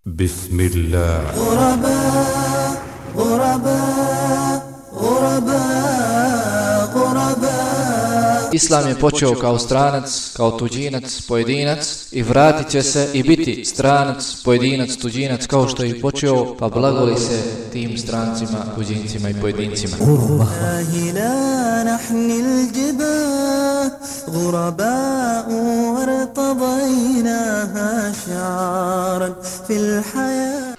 بسم الله. غرباء غرباء غرباء غرباء. Islam je počeo kao stranac, kao tuđinac, pojedinac i vratit će se i biti stranac, pojedinac, tuđinac kao što je i počeo, pa blagoli se tim strancima, tuđincima i pojedincima.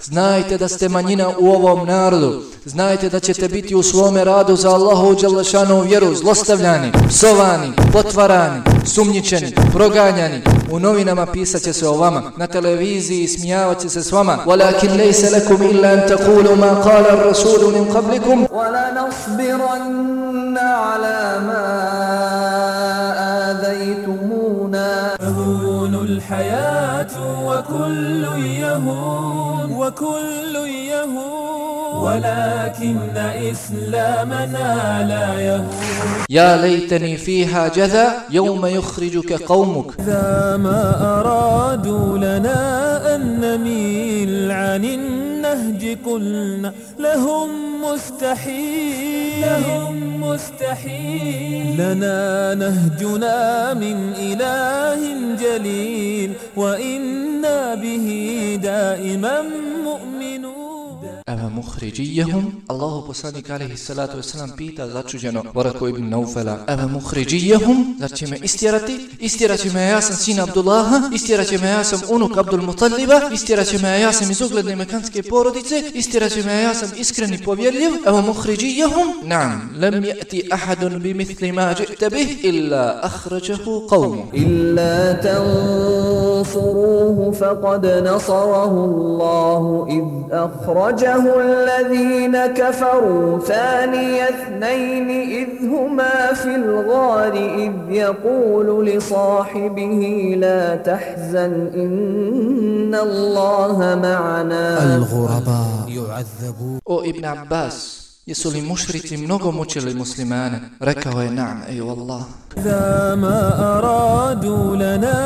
Znajte da ste manjina u ovom narodu. Znajte da ćete biti u svome radu za Allahu dželešanu vjeru zlostavljani, psovani, potvarani, sumnjičeni, proganjani. U novinama pisat će se o vama, na televiziji smijavat će se s vama. Walakin lejse lekum illa an taqulu ma qala ar-rasulu min qablikum. Wala nasbiranna ala ma adaytumuna. Tahunul hayatu wa kullu yahun wa kullu yahun. ولكن إسلامنا لا يهون. يا ليتني فيها جذا يوم يخرجك قومك. إذا ما أرادوا لنا أن نميل عن النهج قلنا لهم مستحيل لهم مستحيل. لنا نهجنا من إله جليل وإنا به دائما مؤمنون. Ava muhriđijahum, Allahu poslanik alaihi salatu wasalam pita začuđeno Varako ibn Naufela, ava muhriđijahum, zar će me istjerati? Istjerat će me, ja sam sin Abdullaha, istjerat će me, ja sam unuk Abdul Mutaliba, istjerat će me, ja sam iz ugledne mekanske porodice, istjerat će me, ja sam iskreni povjerljiv, ava muhriđijahum, naam, lam ja'ti ahadun bi mithli ma ji'ta bih, illa ahrađahu qavmu. Illa tansuruhu faqad nasarahu Allahu id ahrađahu الذين كفروا ثاني اثنين إذ هما في الغار إذ يقول لصاحبه لا تحزن إن الله معنا. الغرباء يعذبون. O Ibn Abbas, jesu li mušrici mnogo mučili muslimane? Rekao je naam, eju Allah. إذا ما أرادوا لنا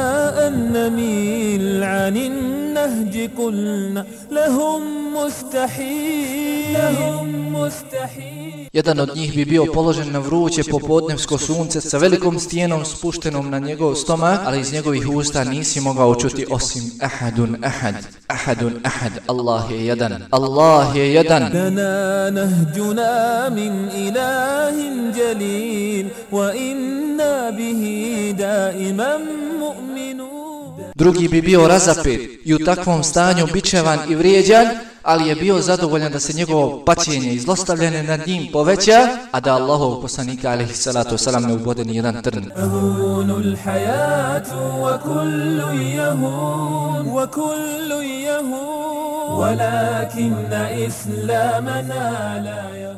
أن نميل عن النهج قلنا لهم مستحيل لهم مستحيل. Jedan od njih bi bio položen na vruće popodnevsko sunce sa velikom stijenom spuštenom na njegov stomak, ali iz njegovih usta nisi mogao čuti osim ahadun ahad, ahadun ahad, Allah je jedan, Allah je jedan. Lana nahjuna min ilahin jalil wa inna bihi daiman mu'minun. Drugi bi bio razapet i u takvom stanju bičevan i vrijeđan, ali je bio zadovoljan da se njegovo paćenje i zlostavljanje nad njim poveća, a da Allahov poslanika alejhi salatu vesselam ne ubode ni jedan trn. Tahunul hayatu wa kullu yahun wa kullu yahun walakinna islamana la yahun.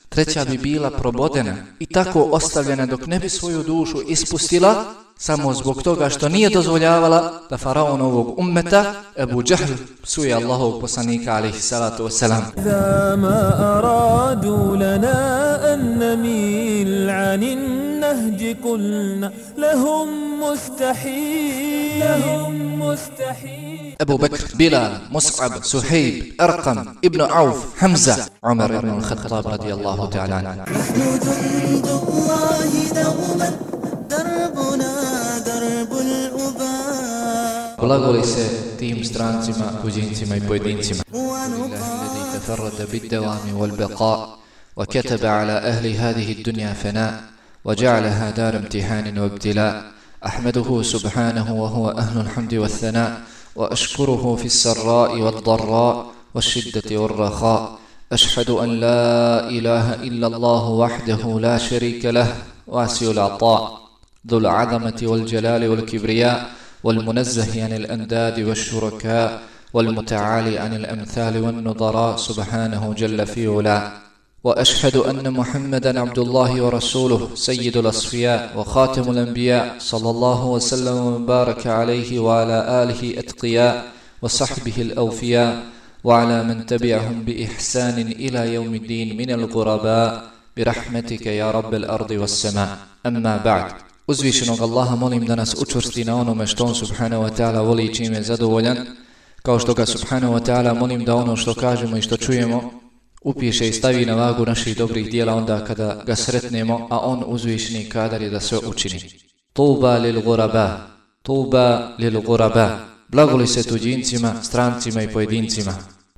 Treća bi bila probodena i tako ostavljena dok ne bi svoju dušu ispustila, samo zbog toga što nije dozvoljavala da faraonovog ummeta Ebu Džahl psuje Allahovog poslanika alejhi salatu vesselam. Iza ma aradu lana an namil anin nahji qulna lahum mustahil lahum mustahil. Ebu Bekr, Bilal, Mus'ab, Suhejb, Arqam, Ibn Auf, Hamza, Umar ibn al-Khattab radijallahu ta'ala anhu. Blagoli se tim strancima, tuđincima i pojedincima. Alladhi tafarrada bid-dawami wal-baqa' wa kataba ala ahli hadhihi ad-dunya fana' wa ja'alaha dar imtihanin wa ibtila'. Ahmaduhu subhanahu wa huwa ahlu al-hamdi wath-thana' wa ashkuruhu fi as-sarra'i wad-dharra' wash-shiddati war-rakha'. أشهد أن لا إله إلا الله وحده لا شريك له واسع العطاء ذو العظمة والجلال والكبرياء والمنزه عن الأنداد والشركاء والمتعالي عن الأمثال والنظراء سبحانه جل في علاه. وأشهد أن محمدا عبد الله ورسوله سيد الأصفياء وخاتم الأنبياء صلى الله وسلم وبارك عليه وعلى آله أتقياء وصحبه الأوفياء وعلى من تبعهم بإحسان إلى يوم الدين من الغرباء برحمتك يا رب الأرض والسماء. أما بعد. Uzvišenog Allaha molim da nas učvrsti na onome što on subhanahu wa ta'ala voli i čime je zadovoljan, kao što ga subhanahu wa ta'ala molim da ono što kažemo i što čujemo upiše i stavi na vagu naših dobrih dijela onda kada ga sretnemo, a on uzvišeni kadar je da sve učini. Tuba lil guraba, tuba lil guraba. Blagoli se tuđincima, strancima i pojedincima.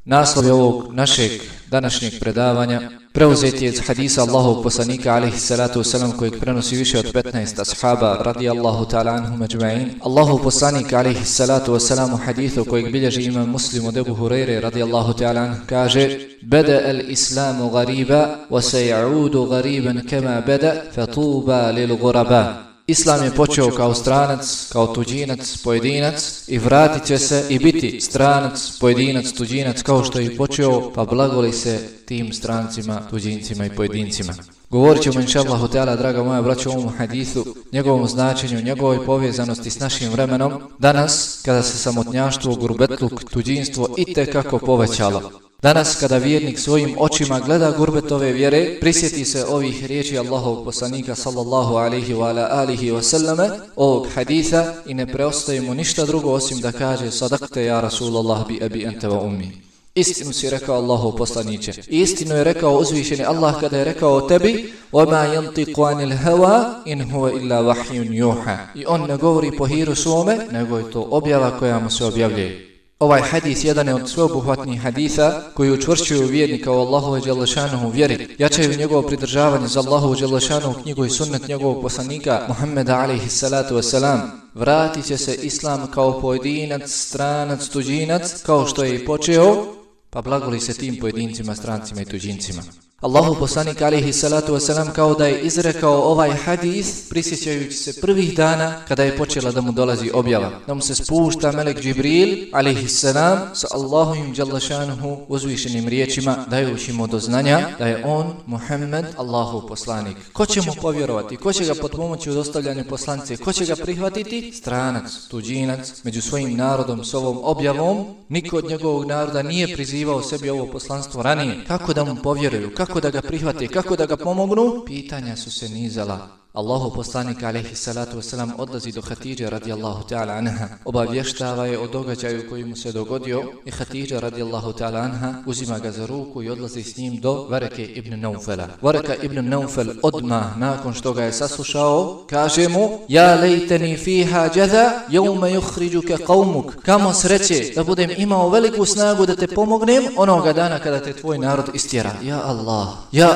Naslov ovog našeg današnjeg predavanja preuzet je iz hadisa Allahovog poslanika alejhi salatu vesselam kojeg prenosi više od 15 ashaba radijallahu ta'ala anhum ajma'in. Allahov poslanik alejhi salatu vesselam u hadithu kojeg bilježi imam Muslim od Ebu Hurajre radijallahu ta'ala anhu kaže: "Bada al-islamu ghariba wa sayaudu ghariban kama bada fatuba lil ghuraba." Islam je počeo kao stranac, kao tuđinac, pojedinac i vratit će se i biti stranac, pojedinac, tuđinac kao što je i počeo, pa blagoli se tim strancima, tuđincima i pojedincima. Govorit ćemo inšallahu ta'ala, draga moja braćo, o ovom hadithu, njegovom značenju, njegovoj povezanosti s našim vremenom, danas kada se samotnjaštvo, gurbetluk, tuđinstvo itekako povećalo. Danas kada vjernik svojim očima gleda gurbetove vjere, prisjeti se ovih riječi Allahovog poslanika sallallahu alaihi wa ala alihi wa sallame, ovog haditha i ne preostaje mu ništa drugo osim da kaže: sadakte ja Rasulallah bi abi ente wa ummi. Istinu si rekao Allahov poslaniće. I istinu je rekao uzvišeni Allah kada je rekao o tebi: وَمَا يَنْطِقُ عَنِ الْهَوَا إِنْ هُوَ إِلَّا وَحْيٌ يُوحَى. I on ne govori po hiru svome, nego je to objava koja mu se objavljuje. Ovaj hadis jedan je od sveobuhvatnih haditha koji učvršćuju vjernika u Allahove dželešanovu vjeri, jačaju njegovo pridržavanje za Allahovu dželešanovu knjigu i sunnet njegovog poslanika Muhammeda alejhi salatu vesselam. Vratit će se Islam kao pojedinac, stranac, tuđinac, kao što je i počeo, pa blagoli se tim pojedincima, strancima i tuđincima. Allahov poslanik alejhi salatu vesselam kao da je izrekao ovaj hadis prisjećajući se prvih dana kada je počela da mu dolazi objava, da mu se spušta melek Džibril alejhi salam sa Allahovim dželešanohu uzvišenim riječima, dajući mu do znanja da je on Muhammed Allahov poslanik. Ko će mu povjerovati? Ko će ga potpomoći u dostavljanju poslanice? Ko će ga prihvatiti? Stranac, tuđinac, među svojim narodom s ovom objavom. Niko od njegovog naroda nije prizivao sebi ovo poslanstvo ranije. Kako da mu povjeruju? Kako da ga prihvate, kako da ga pomognu? Pitanja su se nizala. Allahov poslanik alejhi salatu vesselam odlazi do Hatidže radijallahu ta'ala anha, obavještava je o događaju koji mu se dogodio i Hatidža radijallahu ta'ala anha uzima ga za ruku i odlazi s njim do Vareke ibn Naufela. Vareka ibn Naufel odmah nakon što ga je saslušao kaže mu: ja lejteni fiha jadha yawma yukhrijuka qaumuk. Kamo sreće da budem imao veliku snagu da te pomognem onoga dana kada te tvoj narod istjera. Ja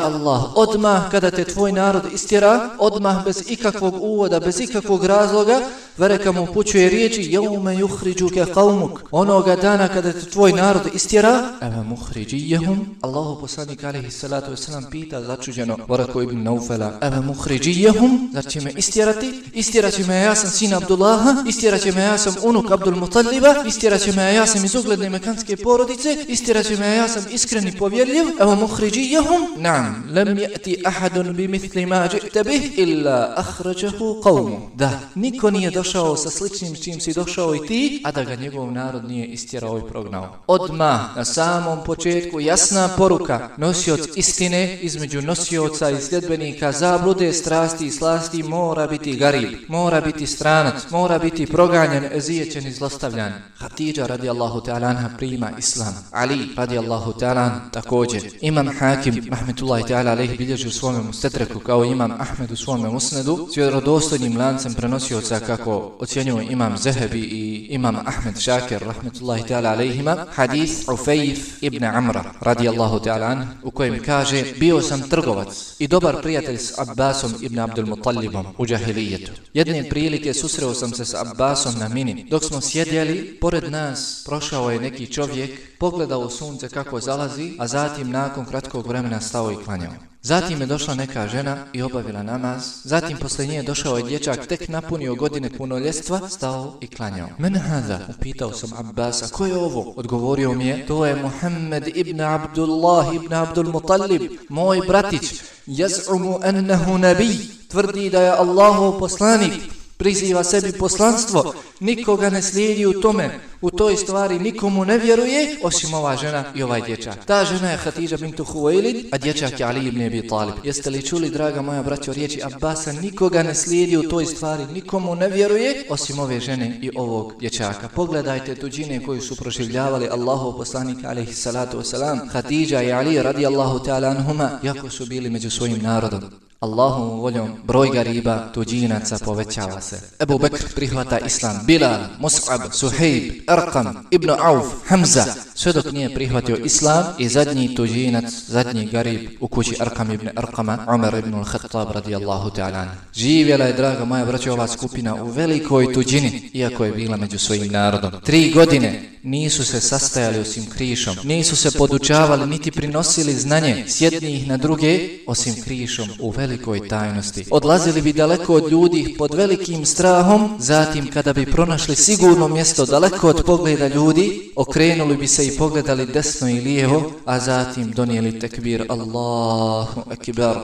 Allah, odmah kada te tvoj narod istjera, odmah bez ikakvog uvoda, bez ikakvog razloga, Vareka mu upućuje riječi: yawma yukhrijuka qaumuk. Onoga dana kada te tvoj narod istjera, eva mukhrijiyahum. Allahu poslanik alejhi salatu vesselam pita začuđeno Vareku ibn Naufela: eva mukhrijiyahum, zar će me istjerati? Istjeraće me, ja sam sin Abdullaha, istjeraće me, ja sam unuk Abdul Mutaliba, istjeraće me, ja sam iz ugledne mekanske porodice, istjeraće me, ja sam iskreni povjerljiv. Eva mukhrijiyahum, na'am, lam ya'ti ahadun bimithli ma ji'ta bih illa akhrajahu qawmu. Da, niko nije došao sa sličnim čim si došao i ti, a da ga njegov narod nije istjerao i prognao. Odmah na samom početku jasna poruka: nosioc istine između nosioca i sljedbenika zablude, strasti i slasti mora biti garib, mora biti stranac, mora biti proganjan, ezijećen i zlostavljan. Hatidža radijallahu ta'ala anha prima islam. Ali radijallahu ta'ala također. Imam Hakim rahmetullahi ta'ala alejhi bilježi u svome mustedreku kao imam Ahmed u svome musnedu s vjerodostojnim lancem prenosioca kako ocjenjuju imam Zehebi i imam Ahmed Šakir rahmetullahi ta'ala alejhima, hadis Ufejf ibn Amra radijallahu ta'ala an, u kojem kaže: bio sam trgovac i dobar prijatelj s Abbasom ibn Abdul Mutalibom u džahilijetu. Jedne prilike susreo sam se s Abbasom na Mini. Dok smo sjedjeli, pored nas prošao je neki čovjek, pogledao u sunce kako zalazi, a zatim nakon kratkog vremena stao i klanjao. Zatim je došla neka žena i obavila namaz. Zatim posle nje došao je dječak tek napunio godine punoljetstva, stao i klanjao. Men hada? Upitao sam Abbasa: ko je ovo? Odgovorio mi je: to je Muhammed ibn Abdullah ibn Abdul Mutalib, moj bratić. Yaz'umu annahu nabi, tvrdi da je Allahov poslanik. priziva sebi poslanstvo, nikoga ne slijedi u tome, u toj stvari nikomu ne vjeruje, osim ova žena i ovaj dječak. Ta žena je Hatidža bintu Huwailid, a dječak je Ali ibn Abi Talib. Jeste li čuli, draga moja braćo, riječi Abbasa, nikoga ne slijedi u toj stvari, nikomu ne vjeruje, osim ove žene i ovog dječaka. Pogledajte tuđine koju su proživljavali Allahov poslanik alejhi salatu vesselam, Hatidža i Ali radijallahu ta'ala anhuma, jako su bili među svojim narodom. Allahovom voljom broj gariba, tuđinaca povećava se. Ebu Bekr prihvata islam, Bilal, Mus'ab, Suhejb, Arqam, Ibn Auf, Hamza, sve dok nije prihvatio islam i zadnji tuđinac, zadnji garib u kući Arqam ibn Arqama, Umar ibn al-Khattab radijallahu ta'ala. Živjela je, draga moja braćo, ova skupina u velikoj tuđini, iako je bila među svojim narodom. 3 godine nisu se sastajali osim krišom, nisu se podučavali niti prinosili znanje s jednih na druge osim krišom u velikoj tajnosti. Odlazili bi daleko od ljudi pod velikim strahom, zatim kada bi pronašli sigurno mjesto daleko od pogleda ljudi, okrenuli bi se i pogledali desno i lijevo, a zatim donijeli tekbir Allahu Ekber.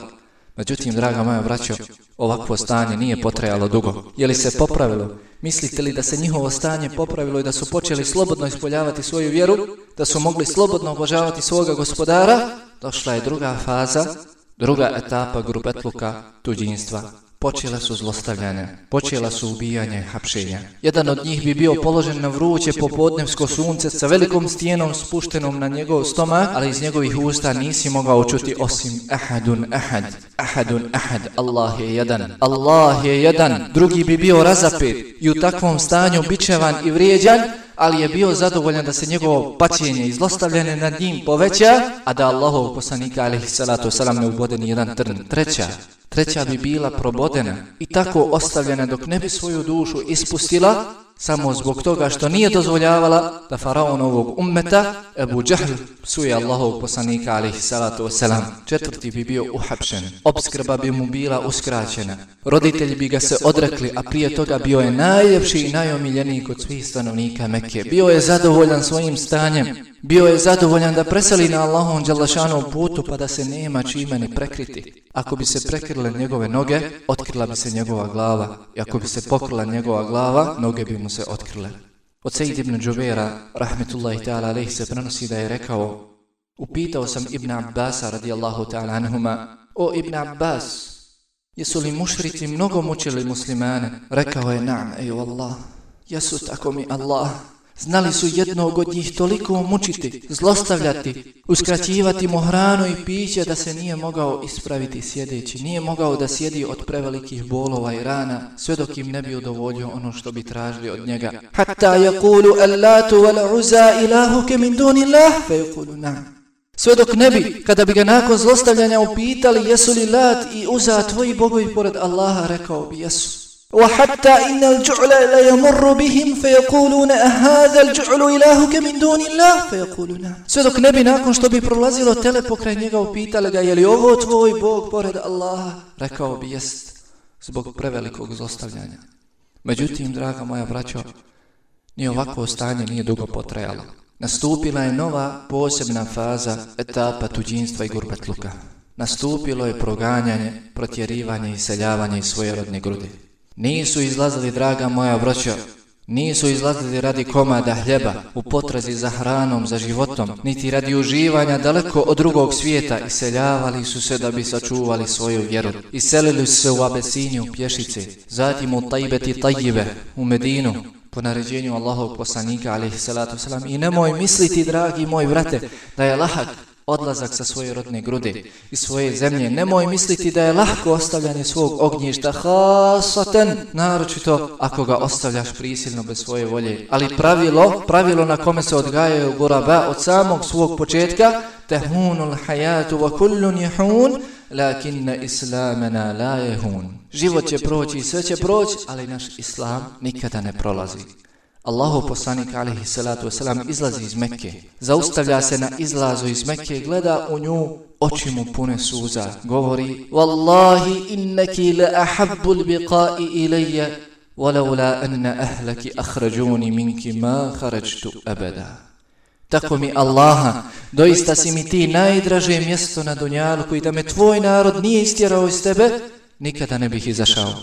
Međutim, draga moja braćo, ovakvo stanje nije potrajalo dugo. Je li se popravilo? Mislite li da se njihovo stanje popravilo i da su počeli slobodno ispoljavati svoju vjeru, da su mogli slobodno obožavati svoga gospodara? Došla je druga faza, druga etapa grupetluka tuđinstva. Počela su zlostavljanja, počela su ubijanja i hapšenja. Jedan od njih bi bio položen na vruće popodnevsko sunce sa velikom stijenom spuštenom na njegov stomak, ali iz njegovih usta nisi mogao čuti osim ahadun ahad, ahadun ahad, Allah je jedan, Allah je jedan. Drugi bi bio razapet i u takvom stanju bičevan i vrijeđan, ali je bio zadovoljan da se njegovo paćenje i zlostavljanje nad njim poveća, a da Allahov poslanika alejhi salatu vesselam ne ubode ni jedan trn. Treća bi bila probodena i tako ostavljena dok ne bi svoju dušu ispustila, samo zbog toga što nije dozvoljavala da faraonovog ummeta Ebu Džahl psuje Allahovog poslanika alejhi salatu vesselam. Četvrti bi bio uhapšen, opskrba bi mu bila uskraćena, roditelji bi ga se odrekli, a prije toga bio je najljepši i najomiljeniji kod svih stanovnika Mekke. Bio je zadovoljan svojim stanjem, bio je zadovoljan da preseli na Allahovom dželešanovom putu pa da se nema čime ni prekriti. Ako bi se prekrile njegove noge, otkrila bi se njegova glava, i ako bi se pokrila njegova glava, noge bi mu se otkrile. Od Sejid ibn Džubera, rahmetullahi ta'ala alejhi, se prenosi da je rekao: upitao sam Ibn Abbasa radijallahu ta'ala anhuma: o Ibn Abbas, jesu li mušrici mnogo mučili muslimane? Rekao je: na'am, ej Allah, jesu, tako mi Allah. Znali su jednog od njih toliko mučiti, zlostavljati, uskraćivati mu hranu i piće da se nije mogao ispraviti sjedeći, nije mogao da sjedi od prevelikih bolova i rana, sve dok im ne bi udovoljio ono što bi tražili od njega. Hatta yaqulu allatu wal uzza ilahuke min dunillah, fa yaqulu na'am. Sve dok ne bi, kada bi ga nakon zlostavljanja upitali jesu li Lat i Uza tvoji bogovi pored Allaha, rekao bi jesu. وحتى إن الجعل لا يمر بهم فيقولون أهذا الجعل إلهك من دون الله فيقولون. Sve dok ne bi nakon što bi prolazilo tele pokraj njega upitali ga je li ovo tvoj Bog pored Allaha, rekao bi jest, zbog prevelikog zlostavljanja. Međutim, draga moja braćo, ni ovakvo stanje nije dugo potrajalo. Nastupila je nova posebna faza, etapa tuđinstva i gurbetluka. Nastupilo je proganjanje, protjerivanje i iseljavanje iz svoje rodne grudi. Nisu izlazili, draga moja braćo, nisu izlazili radi komada hljeba, u potrazi za hranom, za životom, niti radi uživanja daleko od drugog svijeta. Iseljavali su se da bi sačuvali svoju vjeru. Iselili su se u Abesiniju, pješice, zatim u Tajbeti Tajjibe, u Medinu, po naređenju Allahovog poslanika alejhi salatu vesselam. I nemoj misliti, dragi moj brate, da je lahak odlazak sa svoje rodne grude i svoje zemlje. Nemoj misliti da je lahko ostavljanje svog ognjišta, hasaten, naročito ako ga ostavljaš prisilno bez svoje volje. Ali pravilo na kome se odgajaju guraba od samog svog početka, tehunul hayatu wa kullun yahun, lakinna islamana la yahun. Život će proći i sve će proći, ali naš islam nikada ne prolazi. Allahov poslanik alejhi salatu vesselam izlazi iz Mekke, zaustavlja se na izlazu iz Mekke, gleda u nju, oči mu pune suza, govori: Wallahi innaki la ahabbul biqa'i ilayya walaula anna ahlaki akhrajuni minki ma kharajtu abada. Tako mi Allaha, doista si mi ti najdraže mjesto na dunjaluku i da me tvoj narod nije istjerao iz tebe, nikada ne bih izašao.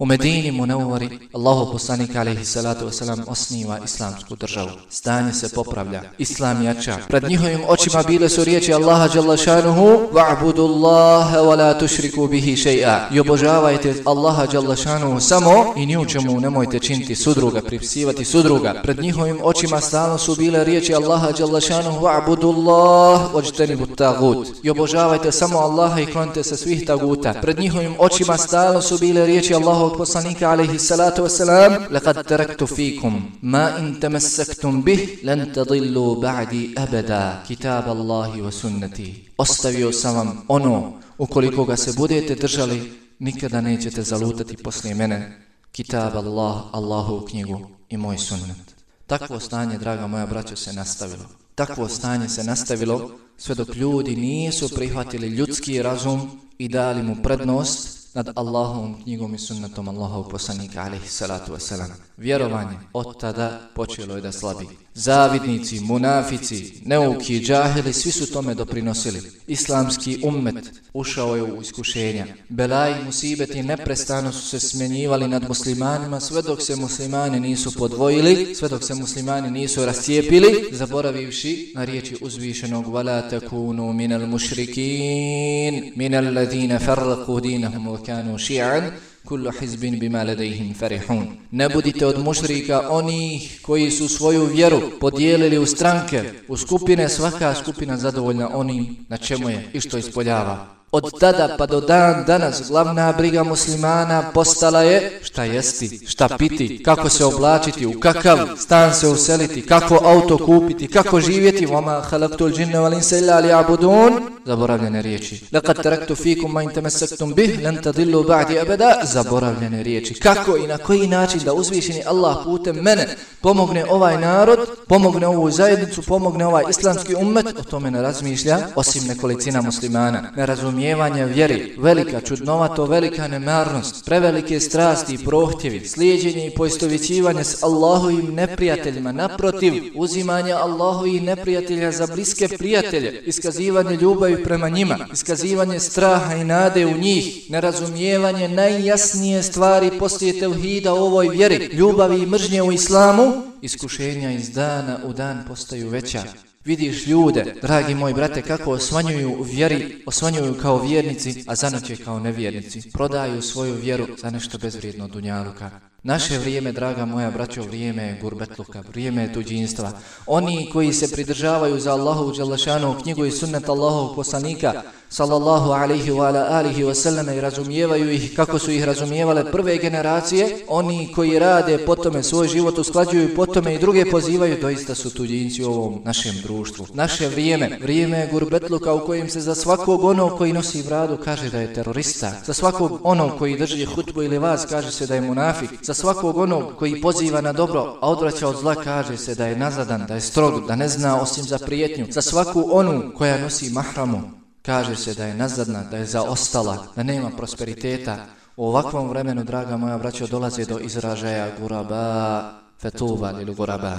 U Medini Munawvari Allahu poslanik alejhi salatu vesselam osniva islamsku državu. Stanje se popravlja, islam jača. Pred njihovim očima bile su riječi Allaha dželle šanuhu: "Wa'budullaha wa la tushriku bihi shay'a." I obožavajte Allaha dželle šanuhu samo i ni u čemu nemojte činiti sudruga, pripisivati sudruga. Pred njihovim očima stalno su bile riječi Allaha dželle šanuhu: "Wa'budullaha wajtanibut tagut." I obožavajte samo Allaha i klonite se svih taguta. Pred njihovim očima stalno su bile riječi Allahovog poslanika alejhi salatu vesselam: "Laqad taraktu fikum ma in tamassaktum bih lan tadillu ba'di abada, kitab Allahi wa sunnati." Ostavio sam vam ono, ukoliko ga se budete držali, nikada nećete zalutati poslije mene, kitab Allah, Allahovu knjigu i moj sunnet. Takvo stanje, draga moja braćo, se nastavilo. Takvo stanje se nastavilo sve dok ljudi nisu prihvatili ljudski razum i dali mu prednost nad Allahovom knjigom i sunnetom Allahovog poslanika alejhi salatu vesselam. Vjerovanje od tada počelo je da slabi. Zavidnici, munafici, neuki, džahili, svi su tome doprinosili. Islamski ummet ušao je u iskušenja. Belaji i musibeti neprestano su se smjenjivali nad muslimanima sve dok se muslimani nisu podvojili, sve dok se muslimani nisu rascijepili, zaboravivši na riječi uzvišenog: "Wala takunu minal mušrikin, minal ladina farraqu dinahum wa kanu ši'an, kullu hizbin bima ladayhim farihun." Ne budite od mušrika, onih koji su svoju vjeru podijelili u stranke, u skupine, svaka skupina zadovoljna onim na čemu je i što ispoljava. Od tada pa do dan danas glavna briga muslimana postala je šta jesti, šta piti, kako se oblačiti, u kakav stan se useliti, kako auto kupiti, kako živjeti. وَمَا خَلَقْتُ الْجِنَّ وَالْإِنسَ إِلَّا لِيَعْبُدُونَ. Zaboravljene riječi. لَقَدْ تَرَكْتُ فِيكُمْ مَا إِنْ تَمَسَّكْتُمْ بِهِ لَنْ تَضِلُّوا بَعْدِي أَبَدًا. Zaboravljene riječi. Kako i na koji način da uzvišeni Allah putem mene pomogne ovaj narod, pomogne ovu zajednicu, pomogne ovaj islamski ummet, o tome ne razmišlja osim nekolicina muslimana. Nerazumijevanje vjeri, velika čudnovato, velika nemarnost, prevelike strasti i prohtjevi, slijeđenje i poistovjećivanje s Allahovim neprijateljima, naprotiv, uzimanje Allahovih neprijatelja za bliske prijatelje, iskazivanje ljubavi prema njima, iskazivanje straha i nade u njih, nerazumijevanje najjasnije stvari poslije tevhida u ovoj vjeri, ljubavi i mržnje u islamu, iskušenja iz dana u dan postaju veća. Vidiš ljude, dragi moji brate, kako osvanjuju u vjeri, osvanjuju kao vjernici, a zanoće kao nevjernici. Prodaju svoju vjeru za nešto bezvrijedno dunjaluka. Naše vrijeme, draga moja braćo, vrijeme je gurbetluka, vrijeme je tuđinstva. Oni koji se pridržavaju za Allahovu dželle šanuhu knjigu i sunnet Allahovog poslanika sallallahu alejhi wa alihi wa sallam i razumijevaju ih kako su ih razumijevale prve generacije, oni koji rade po tome, svoj život usklađuju po tome i druge pozivaju, doista su tuđinci u ovom našem društvu. Naše vrijeme, vrijeme je gurbetluka u kojem se za svakog onog koji nosi bradu kaže da je terorista, za svakog onog koji drži hutbu ili vas kaže se da je munafik, za svakog onog koji poziva na dobro, a odvraća od zla kaže se da je nazadan, da je strog, da ne zna osim za prijetnju. Za svaku onu koja nosi mahramu kaže se da je nazadna, da je zaostala, da nema prosperiteta. U ovakvom vremenu, draga moja braćo, dolaze do izražaja guraba, fetuba lil guraba.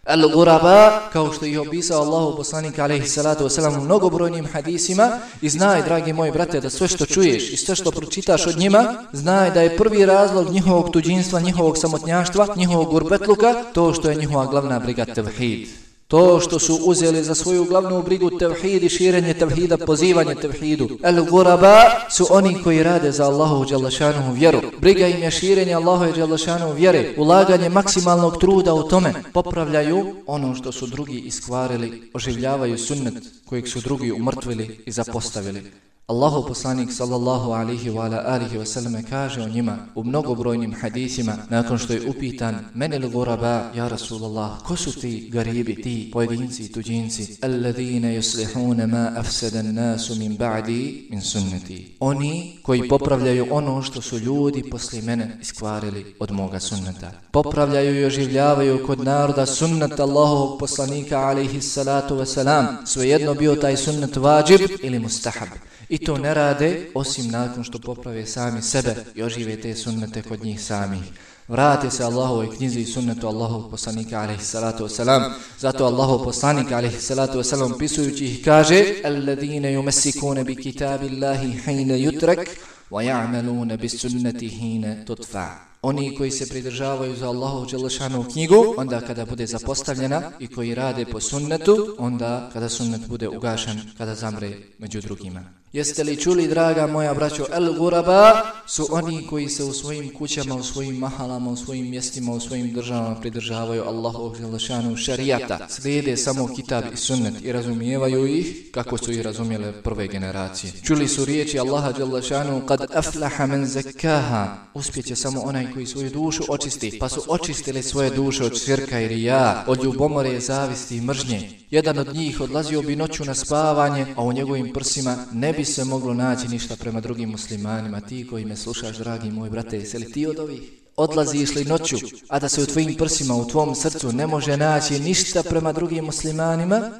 Al-Guraba, kao što ih opisao Allahu poslanik alejhi salatu vesselam u mnogobrojnim hadisima, i znaj, dragi moji brate, da sve što čuješ i sve što pročitaš od njima, znaj da je prvi razlog njihovog tuđinstva, njihovog samotnjaštva, njihovog gurbetluka, to što je njihova glavna briga tevhid. To što su uzeli za svoju glavnu brigu tevhid i širenje tevhida, pozivanje tevhidu. Al-Guraba su oni koji rade za Allahovu dželle šanuhu vjeru. Briga im je širenje Allahove dželle šanuhu vjere, ulaganje maksimalnog truda u tome. Popravljaju ono što su drugi iskvarili, oživljavaju sunnet kojeg su drugi umrtvili i zapostavili. Allahu poslanik sallallahu alaihi wa alihi wa sallam kaže o njima u mnogobrojnim hadisima nakon što je upitan: menil guraba, ja Rasulallah, ko su ti garibi, ti pojedinci i tuđinci? Alladhina yuslihuna ma afsada an-nasu min ba'di min sunnati. Oni koji popravljaju ono što su ljudi poslije mene iskvarili od moga sunneta. Popravljaju i oživljavaju kod naroda sunnet Allahovog poslanika alaihi salatu wa salam, svejedno bio taj sunnet vađib ili mustahab. I to ne rade osim nakon što poprave sami sebe i ožive te sunnete kod njih samih. Vrate se Allahovoj knjizi i sunnetu Allahovog poslanika alejhi salatu vesselam. Zato Allahov poslanik alejhi salatu vesselam pisujući ih kaže: alladine yumsikuna bi kitabillahi hina yutrak وَيَعْمَلُونَ بِسُنَّةِ حِينَ تُطْفَعُ. Oni koji se pridržavaju za Allahu dželešanu knjigu, onda kada bude zapostavljena, i koji rade po sunnetu, onda kada sunnet bude ugašen, kada zamre među drugima. Jeste li čuli, draga moja braćo, el-guraba su oni koji se u svojim kućama, u svojim mahalama, u svojim mjestima, u svojim državama pridržavaju Allahovog dželešanu šerijata, slijede samo kitab i sunnet i razumijevaju ih kako su ih razumjele prve generacije. Čuli su riječi Allaha dželešanu kad aflaha men zakkaha, uspjeće samo onaj koji svoju dušu očisti, pa su očistili svoje duše od širka i rija, od ljubomore, zavisti i mržnje. Jedan od njih odlazio bi noću na spavanje, a u njegovim prsima ne bi se moglo naći ništa prema drugim muslimanima. Ti koji me slušaš, dragi moj brate, jesi li ti od ovih? Odlaziš li noću, a da se u tvojim prsima, u tvom srcu ne može naći ništa prema drugim muslimanima?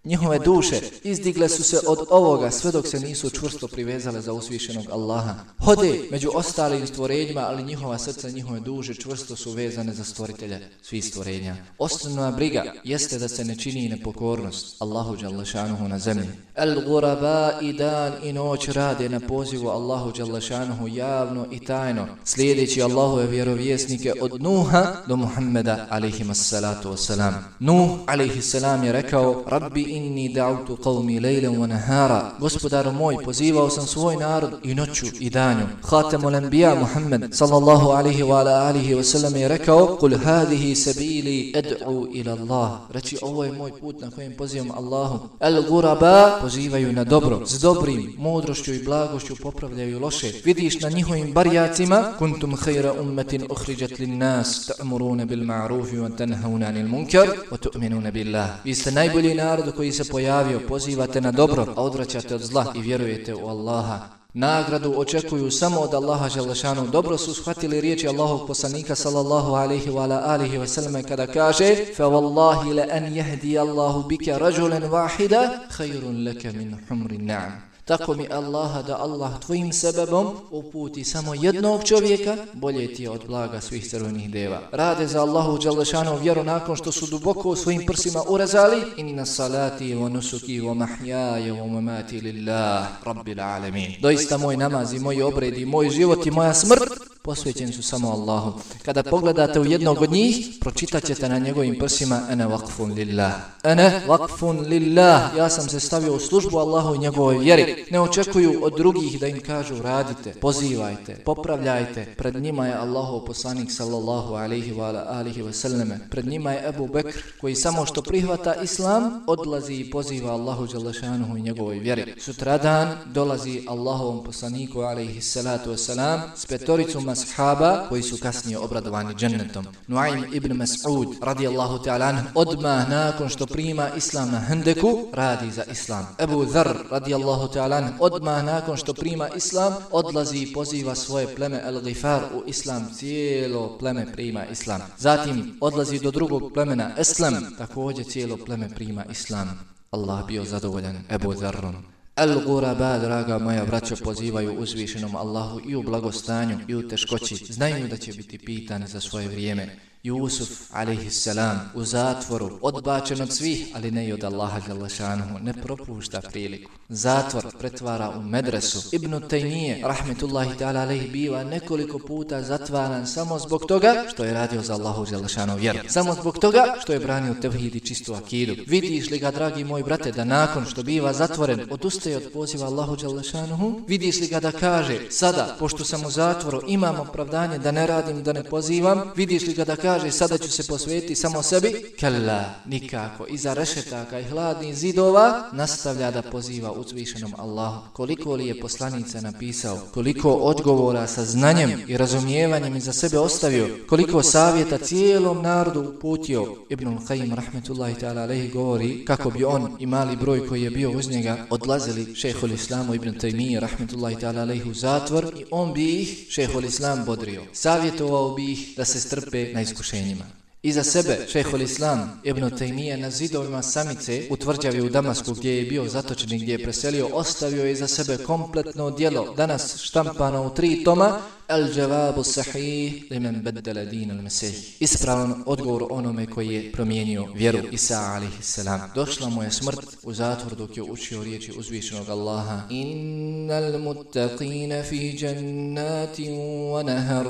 Njihove duše izdigle su se od ovoga sve dok se nisu čvrsto privezale za uzvišenog Allaha. Hode među ostalim stvorenjima, ali njihova srca, njihove duše čvrsto su vezane za stvoritelja svih stvorenja. Osnovna briga jeste da se ne čini nepokornost Allahu dželešanuhu na zemlji. El-guraba i dan i noć rade na pozivu Allahu dželešanuhu javno i tajno, slijedeći Allahove vjerovjesnike od Nuha do Muhammeda alejhimassalatu wassalam. Nuh alejhissalam je rekao: Rabbi inni da'utu qawmi lejlen wa nahara. Gospodaru moj, pozivao sam svoj narod i noću i danju. Khatamul anbiya Muhammad sallallahu alaihi wa alihi wa sallam je rekao: Kul hadihi sabili ad'u ila Allah. Reći, ovo je moj put na kojem pozivam Allahu. El-guraba pozivaju na dobro, s dobrim, mudrošću i blagošću popravljaju loše. Vidiš na njihovim barjacima: kuntum khayra ummatin ukhrijat lin-nas ta'muruna bil ma'ruf wa tanhauna 'anil munkar wa tu'minuna billah. Vi ste najbolji narod koji se pojavio, pozivate na dobro, a odvraćate od zla i vjerujete u Allaha. Nagradu očekuju samo od Allaha dželešanu. Dobro su shvatili riječi Allahovog poslanika sallallahu alaihi wa alihi wa sallam kada kaže: fa wallahi la an yahdi Allahu bika rajulan wahida khayrun laka min humrin na'am. Tako mi Allaha da Allah tvojim sebebom uputi samo jednog čovjeka, bolje ti je od blaga svih crvenih deva. Rade za Allahu dželešanu vjeru nakon što su duboko u svojim prsima urezali: inna salati wa nusuki wa mahyaja wa mamati lillah rabbil alamin. Doista moj namaz i moji obredi, moj život i moja smrt posvećeni su samo Allahu. Kada pogledate u jednog od njih, pročitat ćete na njegovim prsima: ana waqfun lillah. Ana waqfun lillah. Ja sam se stavio u službu Allahu i njegovoj vjeri. Ne očekuju od drugih da im kažu radite, pozivajte, popravljajte. Pred njima je Allahov poslanik sallallahu alaihi wa alihi wa sallam. Pred njima je Ebu Bekr koji samo što prihvata islam odlazi i poziva Allahu dželešanuhu i njegovoj vjeri. Sutradan dolazi Allahovom poslaniku alaihi salatu wasalam s petoricom ashaba koji su kasnije obradovani džennetom. Nuaym ibn Mas'ud radijallahu ta'ala anhu odmah nakon što prima islam na Hendeku radi za islam. Ebu Dharr radijallahu ta'ala anhu odmah nakon što prima islam odlazi i poziva svoje pleme Al-Ghifar u islam. Cijelo pleme prima islam. Zatim odlazi do drugog plemena Eslam, također cijelo pleme prima islam. Allah bio zadovoljan Ebu Dharrom. El-guraba, draga moja braćo, pozivaju uzvišenom Allahu i u blagostanju i u teškoći. Znaju da će biti pitani za svoje vrijeme. Jusuf alejhisselam u zatvoru, odbačen od svih, ali ne i od Allaha dželešanuhu, ne propušta priliku. Zatvor pretvara u medresu. Ibn Taymije rahmetullahi ta'ala alejhi biva nekoliko puta zatvaran samo zbog toga što je radio za Allahu dželešanuhu vjeru. Samo zbog toga što je branio tevhid i čistu akidu. Vidiš li ga, dragi moj brate, da nakon što biva zatvoren odustaje od poziva Allahu dželešanuhu? Vidiš li ga da kaže: sada, pošto sam u zatvoru, imam opravdanje da ne radim, da ne pozivam? Vidiš li ga da kaže: sada ću se posvetiti samo sebi? Kalla, nikako. Iza rešetaka i hladnih zidova nastavlja da poziva uzvišenom Allahu. Koliko li je poslanica napisao, koliko odgovora sa znanjem i razumijevanjem iza sebe ostavio, koliko savjeta cijelom narodu uputio. Ibnul Qayyim rahmetullahi ta'ala alejhi govori kako bi on i mali broj koji je bio uz njega odlazili šejhul islamu Ibn Taymije rahmetullahi ta'ala alejhi u zatvor i on bi ih, šejhul islam, bodrio. Savjetovao bi ih da se strpe na iskušenjima. Iza sebe šejhul Islam Ibn Taymije na zidovima samice u tvrđavi u Damasku gdje je bio zatočen i gdje je preselio, ostavio je iza sebe kompletno djelo, danas štampano u 3 toma, Al-Jawabu Sahih limen beddela din al-Mesih. Ispravan odgovor onome koji je promijenio vjeru Isa a.s. Došla mu je smrt u zatvor dok je učio riječi uzvišenog Allaha. Innal muttaqina fi jannatin wa nahar.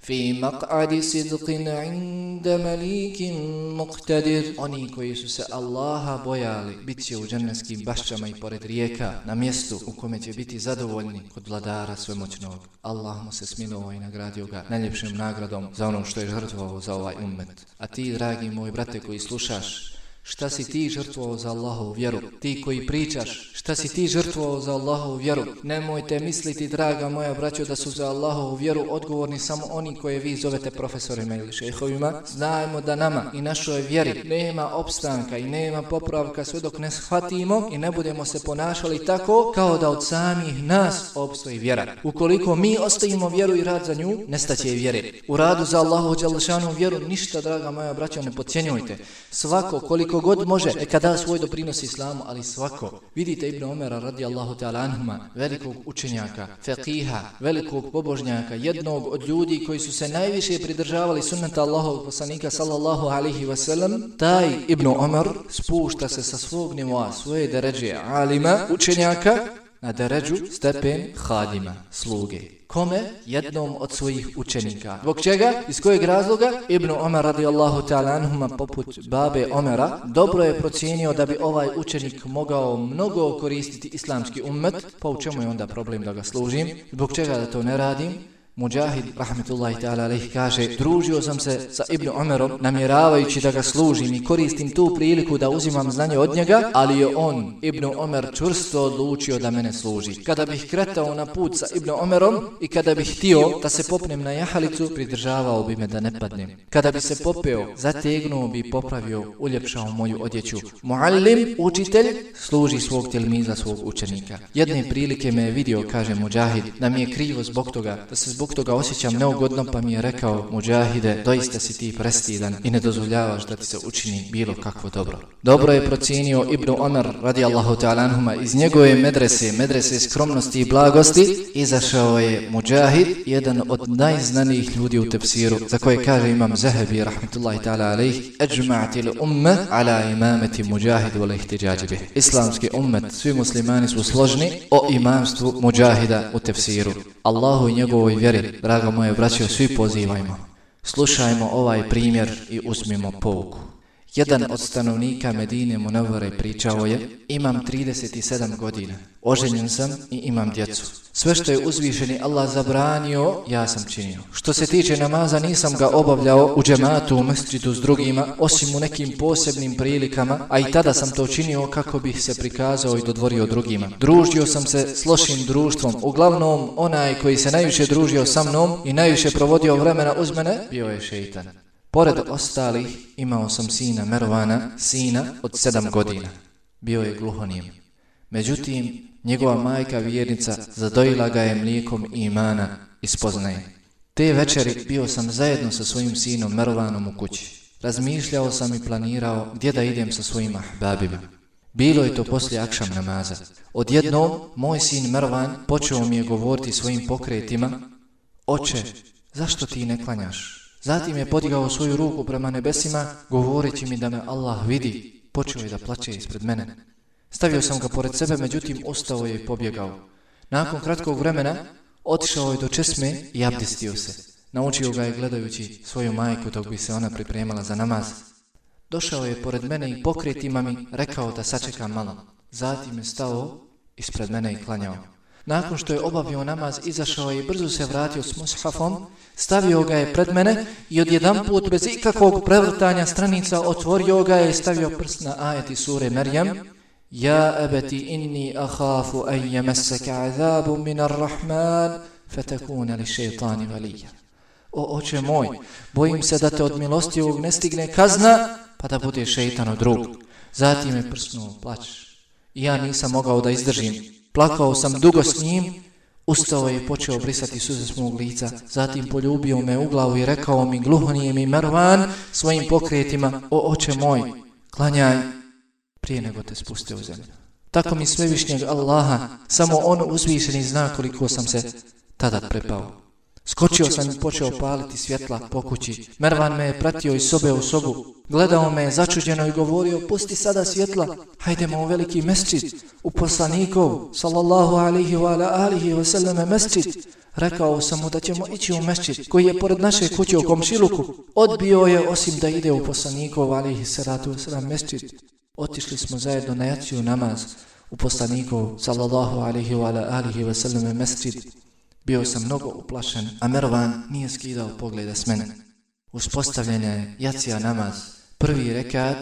fi maq'adi sidqin 'inda malikin muqtadir. Oni koji su se Allaha bojali bit će u džennetskim bašćama i pored rijeka, na mjestu u kome će biti zadovoljni kod vladara svemoćnog. Allah mu se smilovao i nagradio ga najljepšim nagradom za ono što je žrtvovao za ovaj ummet. A ti, dragi moj brate koji slušaš, šta si ti žrtvovao za Allahovu vjeru? Ti koji pričaš, šta si ti žrtvovao za Allahovu vjeru? Nemojte misliti, draga moja braćo, da su za Allahovu vjeru odgovorni samo oni koje vi zovete profesorima ili šejhovima. Znajmo da nama i našoj vjeri nema opstanka i nema popravka sve dok ne shvatimo i ne budemo se ponašali tako kao da od samih nas opstoji vjera. Ukoliko mi ostavimo vjeru i rad za nju, nestaće i vjere. U radu za Allahovu dželešanu vjeru ništa, draga moja braćo, ne podcjenjujte. Svako koliko god može, neka da svoj doprinos islamu, ali svako. Vidite Ibn Omera radijallahu ta'ala anhuma, velikog učenjaka, faqiha, velikog pobožnjaka, jednog od ljudi koji su se najviše pridržavali sunneta Allahovog poslanika sallallahu alaihi wasallam. Taj Ibn Omer spušta se sa svog nivoa, svoje deređe alima, učenjaka, na deređu stepen hadima, sluge. Kome? Jednom od svojih učenika. Zbog čega? Iz kojeg razloga? Ibn Omer radijallahu ta'ala anhuma, poput babe Omera, dobro je procijenio da bi ovaj učenik mogao mnogo koristiti islamski ummet, pa u čemu je onda problem da ga služim? Zbog čega da to ne radim? Mujahid rahmetullahi ta'ala alejhi kaže: družio sam se sa Ibn Omerom namjeravajući da ga služim i koristim tu priliku da uzimam znanje od njega, ali je on, Ibn Omer, čvrsto odlučio da mene služi. Kada bih kretao na put sa Ibn Omerom i kada bih htio da se popnem na jahalicu, pridržavao bi me da ne padnem. Kada bi se popeo, zategnuo bi, popravio, uljepšao moju odjeću. Muallim, učitelj, služi svog tilmiza, svog učenika. Jedne prilike me je vidio, kaže Mujahid, da mi je krivo zbog toga, da se zbog toga osjećam neugodno, pa mi je rekao: Mujahide, doista si ti prestidan i ne dozvoljavaš da ti se učini bilo kakvo dobro. Dobro je procijenio Ibn Omer radijallahu ta'ala anhuma. Iz njegove medrese skromnosti i blagosti, izašao je Mujahid, jedan od najznanijih ljudi u tefsiru, za koje kaže imam Zahabi rahmetullahi ta'ala alejhi: ajma'til umma ala imamati Mujahid wal ihtijađ bih. Islamski ummet, svi muslimani su složni o imamstvu Mujahida u tefsiru. Allahu i njegovoj vjeri, draga moje braćo, svi pozivajmo. Slušajmo ovaj primjer i uzmimo pouku. Jedan od stanovnika Medine Munavvare pričao je: imam 37 godina, oženjen sam i imam djecu. Sve što je uzvišeni Allah zabranio, ja sam činio. Što se tiče namaza, nisam ga obavljao u džematu, u mesdžidu s drugima, osim u nekim posebnim prilikama, a i tada sam to činio kako bih se prikazao i dodvorio drugima. Družio sam se s lošim društvom, uglavnom onaj koji se najviše družio sa mnom i najviše provodio vremena uz mene, bio je šeitan. Pored ostalih, imao sam sina Mervana, sina od 7 godina. Bio je gluhonim. Međutim, njegova majka vjernica zadojila ga je mlijekom imana i spoznaje. Te večeri bio sam zajedno sa svojim sinom Mervanom u kući. Razmišljao sam i planirao gdje da idem sa svojim ahbabima. Bilo je to poslije akšam namaza. Odjednom, moj sin Mervan počeo mi je govoriti svojim pokretima: oče, zašto ti ne klanjaš? Zatim je podigao svoju ruku prema nebesima, govoreći mi da me Allah vidi. Počeo je da plače ispred mene. Stavio sam ga pored sebe, međutim ustao je i pobjegao. Nakon kratkog vremena otišao je do česme i abdestio se. Naučio ga je gledajući svoju majku dok bi se ona pripremala za namaz. Došao je pored mene i pokretima mi rekao da sačekam malo. Zatim je stao ispred mene i klanjao. Nakon što je obavio namaz, izašao je i brzo se vratio s mushafom, stavio ga je pred mene i odjedanput bez ikakvog prevrtanja stranica otvorio ga je i stavio prst na ajeti sure Merjem: Ja abati inni ahafu an yamassaka azabun min ar-Rahman fatakuna li shaytani waliya. O oče moj, bojim se da te od milostivog ne stigne kazna, pa da bude šejtanov drug. Zatim je prsnuo plać. I ja nisam mogao da izdržim. Plakao sam dugo s njim, Ustao je i počeo brisati suze s mog lica, zatim poljubio me u glavu i rekao mi gluhonijemi Mervan svojim pokretima: o oče moj, klanjaj prije nego te spuste u zemlju. Tako mi svevišnjeg Allaha, samo on uzvišeni zna koliko sam se tada prepao. Skočio sam i počeo paliti svjetla po kući. Mervan me je pratio iz sobe u sobu. Gledao me je začuđeno i govorio: pusti sada svjetla, hajdemo u veliki mesdžid, u poslanikov, sallallahu alihi wa sallam mesdžid. Rekao sam mu da ćemo ići u mesdžid koji je pored naše kuće u komšiluku. Odbio je osim da ide u poslanikov, alihi salatu wa sallam mesdžid. Otišli smo zajedno na jaciju namaz u poslanikov, sallallahu alihi wa sallam mesdžid. Bio sam mnogo uplašen, a Mervan nije skidao pogleda s mene. Uspostavljena je jacija namaz. Prvi rekat,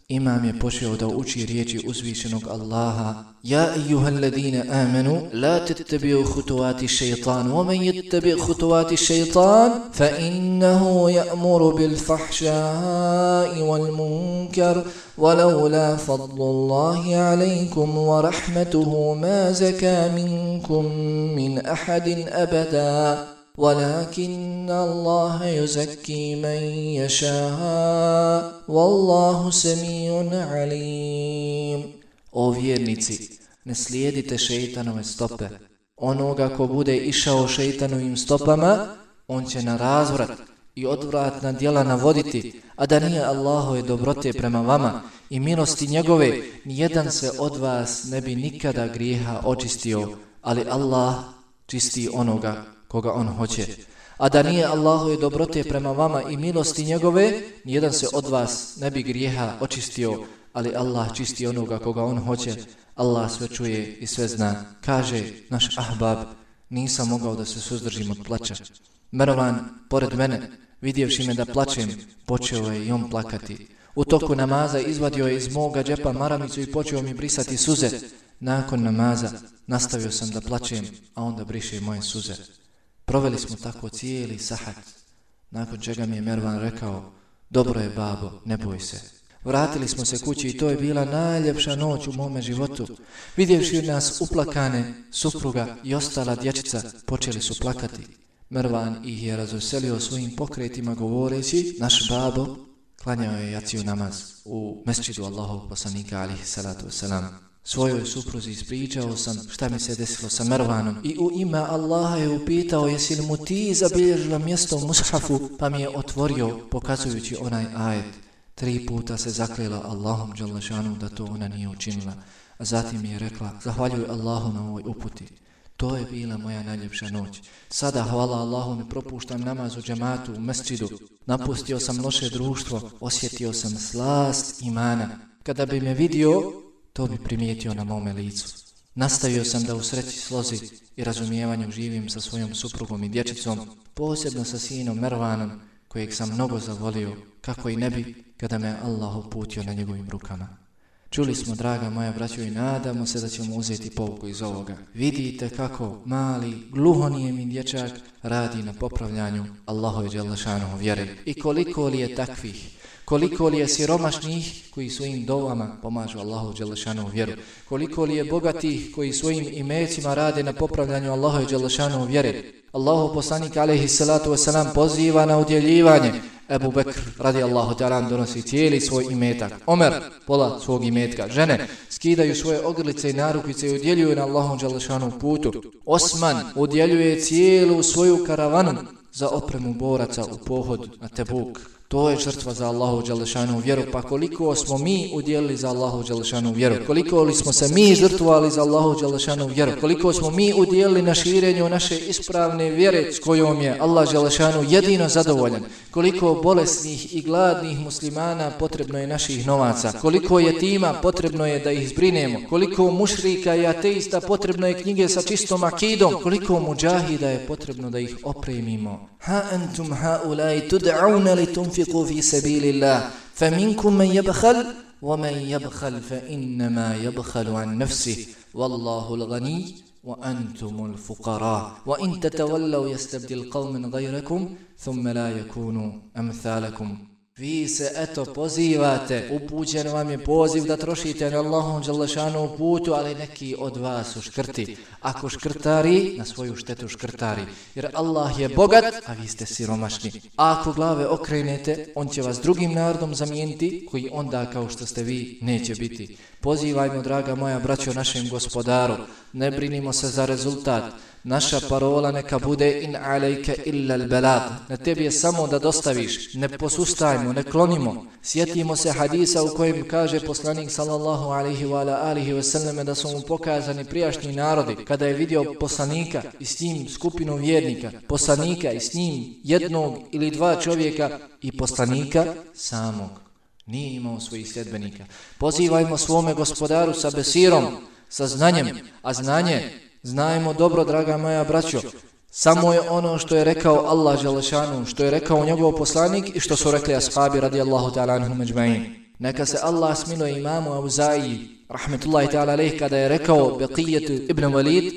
imam je počeo da uči riječi uzvišenog Allaha: ja ejuhal ladine amenu, la tettabi'u hutovati šeitan, wa men yettabi' hutovati šeitan, fa innahu ya'muru bil fahšai wal munkar, ولولا فضل الله عليكم ورحمته ما زكى منكم من أحد أبدا ولكن الله يزكي من يشاء والله سميع عليم. O vjernici, ne slijedite šeitanove stope. Onoga ko bude išao šeitanovim stopama, on će na razvrat i odvratna djela navoditi, a da nije Allahove dobrote prema vama i milosti njegove, nijedan se od vas ne bi nikada grijeha očistio, ali Allah čisti onoga koga on hoće. A da nije Allahove dobrote prema vama i milosti njegove, nijedan se od vas ne bi grijeha očistio, ali Allah čisti onoga koga on hoće. Allah sve čuje i sve zna. Kaže naš ahbab: nisam mogao da se suzdržim od plača. Mervan, pored mene, vidjevši me da plačem, počeo je i on plakati. U toku namaza izvadio je iz moga džepa maramicu i počeo mi brisati suze. Nakon namaza nastavio sam da plačem, a onda briše moje suze. Proveli smo tako cijeli sahat, nakon čega mi je Mervan rekao: dobro je babo, ne boj se. Vratili smo se kući i to je bila najljepša noć u mome životu. Vidjevši nas uplakane, supruga i ostala dječica počeli su plakati. Mervan ih je razveselio svojim pokretima govoreći: naš babo klanjao je jaciju namaz u mesdžidu Allahovog poslanika, alihi salatu wasalam. Svojoj supruzi ispričao sam šta mi se desilo sa Mervanom i u ime Allaha je upitao: jesi li mu ti zabilježila mjesto u mushafu? Pa mi je otvorio pokazujući onaj ajet. 3 puta se zaklela Allahom dželle šanu da to ona nije učinila, a zatim je rekla: zahvaljuj Allahu na ovoj uputi. To je bila moja najljepša noć. Sada, hvala Allahu, ne propuštam namaz u džematu, u mesdžidu. Napustio sam loše društvo, osjetio sam slast imana. Kada bi me vidio, to bi primijetio na mome licu. Nastavio sam da u sreći, slozi i razumijevanju živim sa svojom suprugom i dječicom, posebno sa sinom Mervanom, kojeg sam mnogo zavolio, kako i ne bi kada me Allah uputio na njegovim rukama. Čuli smo, draga moja braćo, i nadamo se da ćemo uzeti pouku iz ovoga. Vidite kako mali, gluhonijemi dječak radi na popravljanju Allahove dželle šanuhu vjere. I koliko li je takvih, koliko li je siromašnih koji svojim dovama pomažu Allahu dželle šanuhu vjeru, koliko li je bogatih koji svojim imecima rade na popravljanju Allahove dželle šanuhu vjere. Allahov poslanik alejhi salatu vesselam poziva na udjeljivanje. Ebu Bekr radijallahu ta'ala donosi cijeli svoj imetak. Omer pola svog imetka. Žene skidaju svoje ogrlice i narukvice i udjeljuju na Allahom dželle šanuhu putu. Osman udjeljuje cijelu svoju karavanu za opremu boraca u pohod na Tebuk. To je žrtva za Allahu dželle šanuhu vjeru. Pa koliko smo mi udjelili za Allahu dželle šanuhu vjeru? Koliko li smo se mi žrtvovali za Allahu dželle šanuhu vjeru? Koliko smo mi udjelili na širenju naše ispravne vjere s kojom je Allah dželle šanuhu jedino zadovoljan? Koliko bolesnih i gladnih muslimana potrebno je naših novaca? Koliko jetima potrebno je da ih zbrinemo? Koliko mušrika i ateista potrebno je knjige sa čistom akidom? Koliko muđahida je potrebno da ih opremimo? Ha antum haulai tud'auna litunfiqu fi sabilillah faminkum man yabkhal wa man yabkhal fa innama yabkhalu an nafsihi wallahu al-ghani wa antumul fuqara wa in tatawallaw yastabdil qauman ghayrakum thumma la yakunu amthalakum. Vi se eto pozivate, upućen vam je poziv da trošite na Allahom dželešanu putu, ali neki od vas su škrti. Ako škrtari, na svoju štetu škrtari. Jer Allah je bogat, a vi ste siromašni. A ako glave okrenete, on će vas drugim narodom zamijeniti, koji onda kao što ste vi neće biti. Pozivajmo, draga moja braćo, našem gospodaru. Ne brinimo se za rezultat. Naša parola neka bude in alejke illa al-balagh. Na tebi je samo da dostaviš. Ne posustajmo, ne klonimo. Sjetimo se hadisa u kojem kaže poslanik sallallahu alejhi ve selleme da su mu pokazani prijašnji narodi kada je vidio poslanika i s njim skupinu vjernika, poslanika i s njim jednog ili dva čovjeka i poslanika samog. Nije imao svojih sljedbenika. Pozivajmo svome gospodaru sa besirom, sa znanjem, a znanje znajmo dobro, draga moja braćo, samo je ono što je rekao Allah dželešanu, što je rekao njegov poslanik i što su rekli ashabi radijallahu ta'ala anhum ejma'in. Neka se Allah smiluje imamu Auza'i rahmetullahi ta'ala alejh kada je rekao Beqijet ibn Walid: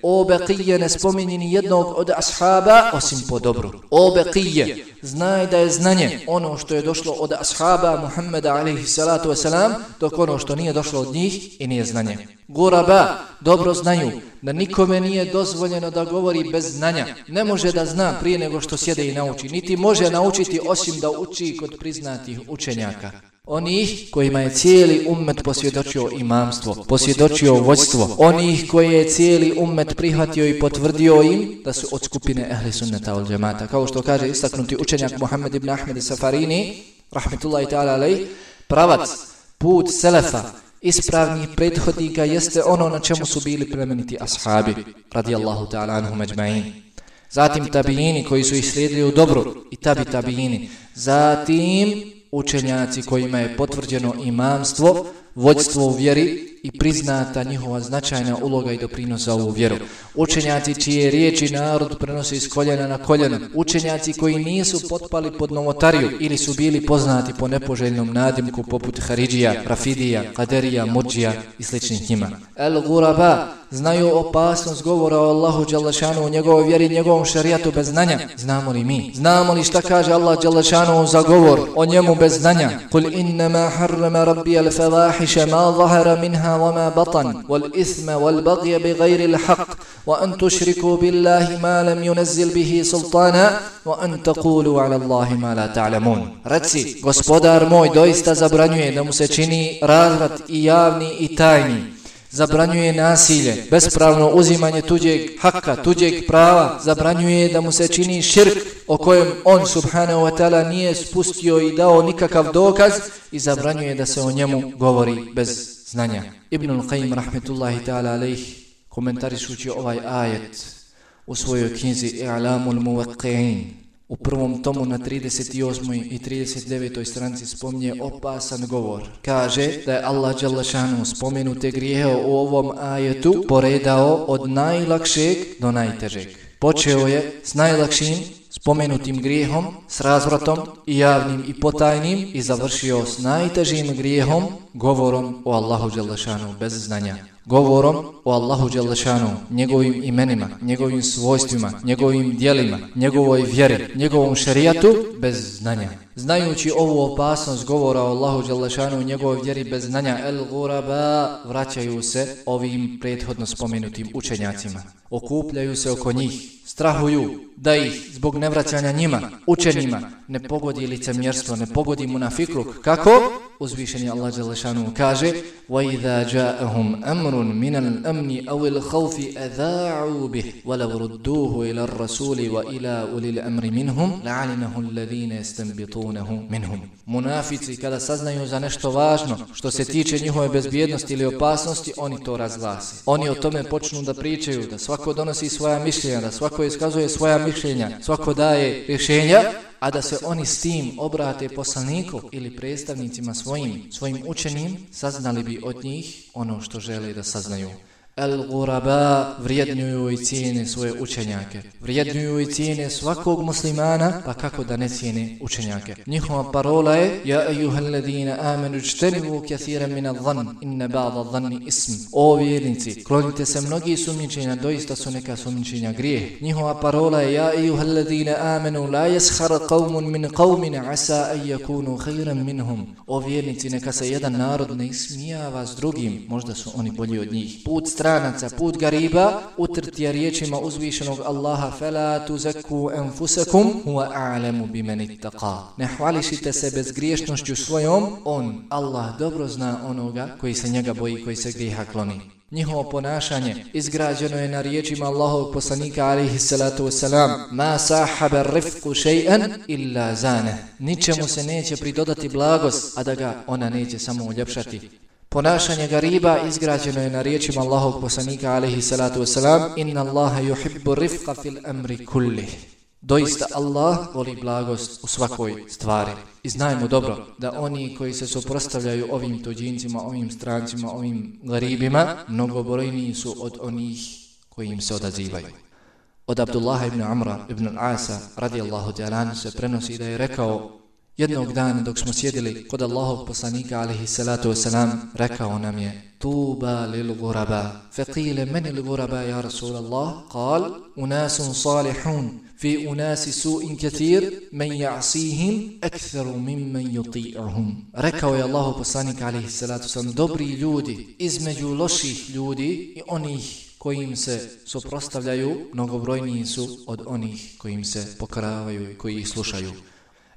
o Beqije, ne spomeni ni jednog od ashaba osim po dobru. O Beqije, znaj da je znanje ono što je došlo od ashaba Muhammeda alejhi salatu wasalam, dok ono što nije došlo od njih i nije znanje. Guraba dobro znaju da nikome nije dozvoljeno da govori bez znanja. Ne može da zna prije nego što sjede i nauči, niti može naučiti osim da uči kod priznatih učenjaka. Onih kojima je cijeli ummet posvjedočio imamstvo, posvjedočio vođstvo, onih koje je cijeli ummet prihvatio i potvrdio im da su od skupine ehli sunneta wal džemata. Kao što kaže istaknuti učenjak Muhammed ibn Ahmed Safarini rahmetullahi ta'ala alejh, pravac, put selefa, ispravnih prethodnika jeste ono na čemu su bili plemeniti ashabi radijallahu ta'ala anhum ejma'in. Zatim tabijini koji su ih slijedili u dobru i tabijini. Zatim učenjaci kojima je potvrđeno imamstvo, vođstvo u vjeri i priznata njihova značajna uloga i doprinosa u vjeru. Učenjaci čije riječi narod prenosi iz koljena na koljeno. Učenjaci koji nisu potpali pod novotariju ili su bili poznati po nepoželjnom nadimku poput Haridžija, Rafidija, Kaderija, Murđija i sličnih njima. El-Guraba znaju opasnost govora o Allahu dželešanu, u njegovoj vjeri, njegovom šarijatu bez znanja. Znamo li mi? Znamo li šta kaže Allah dželešanu za govor o njemu bez znanja? Kul innama harrama rabbi al-fawahisha ma zahara minha wa ma batan wal ithma wal bagya bighayri al-haqq wa an tushriku billahi ma lam yunzil bihi sultana wa an taqulu ala Allahi ma la ta'lamun. Reci, gospodar moj doista zabranjuje da mu se čini razvrat i javni i tajni. Zabranjuje nasilje, bespravno uzimanje tuđeg haka, tuđeg prava, zabranjuje da mu se čini širk o kojem on subhanahu wa ta'ala nije spustio i dao nikakav dokaz i zabranjuje da se o njemu govori bez znanja. Ibnul Qayyim rahmetullahi ta'ala alejh komentarišući ovaj ajet u svojoj knjizi I'lamul Muwaqqi'in u prvom tomu na 38. i 39. stranici spominje opasan govor. Kaže da je Allah dželešanu spomenute grijehe u ovom ajetu poredao od najlakšeg do najtežeg. Počeo je s najlakšim spomenutim grijehom, s razvratom i javnim i potajnim i završio s najtežim grijehom, govorom o Allahu dželešanu bez znanja. Govorom o Allahu dželešanu, njegovim imenima, njegovim svojstvima, njegovim djelima, njegovoj vjeri, njegovom šerijatu bez znanja. Znajući ovu opasnost govora o Allahu dželešanu, njegovoj vjeri bez znanja, el-Guraba vraćaju se ovim prethodno spomenutim učenjacima. Okupljaju se oko njih, strahuju da ih zbog nevraćanja njima, učenima, ne pogodi licemjerstvo, ne pogodi munafikluk. Kako? Uzvišeni Allah dželešanu kaže: وَإِذَا جَاءَهُمْ أَمْرٌ مِنَ الْأَمْنِ أَوِ الْخَوْفِ أَذَاعُوا بِهِ وَلَوْ رُدُّوهُ إِلَى الرَّسُولِ وَإِلَى أُولِي الْأَمْرِ مِنْهُمْ لَعَلِمَهُ الَّذِينَ يَسْتَنبِطُونَهُ مِنْهُمْ. Munafici kada saznaju za nešto važno što se tiče njihove bezbjednosti ili opasnosti, oni to razglase. Oni o tome počnu da pričaju, da svako donosi svoja mišljenja, da svako iskazuje svoja mišljenja, svako daje rješenja, a da se oni s tim obrate poslaniku ili predstavnicima svojim učenim, saznali bi od njih ono što žele da saznaju. Al-Ghuraba vrijednjuju i cijene svoje učenjake. Vrijednjuju i cijene svakog muslimana, pa kako da ne cijene učenjake. Njihova parola je: Ja ejuhalladina amanu ijtanibu kathiran min adh-dhann inna ba'da adh-dhanni ism. O vjernici, klonite se mnogi sumnjičenja, doista su neka sumnjičenja grijeh. Njihova parola je: Ja ejuhalladina amanu la yaskhar qawmun min qawmin asa an yakunu khayran minhum. O vjernici, neka se jedan narod ne ismijava s drugim, možda su oni bolji od njih. Put stranaca, put gariba, utrti je riječima uzvišenog Allaha: Fela tuzakku anfusakum huwa a'lamu biman ittaqa. Ne hvališite se bezgriješnošću svojom, on, Allah, dobro zna onoga koji se njega boji, koji se grijeha kloni. Njihovo ponašanje izgrađeno je na riječima Allahovog poslanika alejhi salatu vesselam: Ma sahaba rifqu shay'an illa zane. Ničemu se neće pridodati blagost, a da ga ona neće samo uljepšati. Ponašanje gariba izgrađeno je na riječima Allahovog poslanika alejhi salatu vesselam: Inna Allaha yuhibbu rifqa fil amri kullih. Doista Allah voli blagost u svakoj stvari. I znajmo dobro da oni koji se suprotstavljaju ovim tuđincima, ovim strancima, ovim garibima, mnogobrojniji su od onih koji im se odazivaju. Od Abdullaha ibn Amra ibn al-Asa radijallahu ta'ala se prenosi da je rekao: jednog dana dok smo sjedili kod Allahovog poslanika alejhi salatu vesselam, rekao nam je: Tuba lil ghuraba. Faqila man al ghuraba ya Rasulallah? Qal: unasun salihun fi unasi su'in kathir man ya'sihim aktharu mimman yuti'uhum. Rekao je Allahov poslanik alejhi salatu vesselam: dobri ljudi između loših ljudi i onih koji im se suprotstavljaju, mnogobrojniji su od onih koji im se pokoravaju i koji ih slušaju.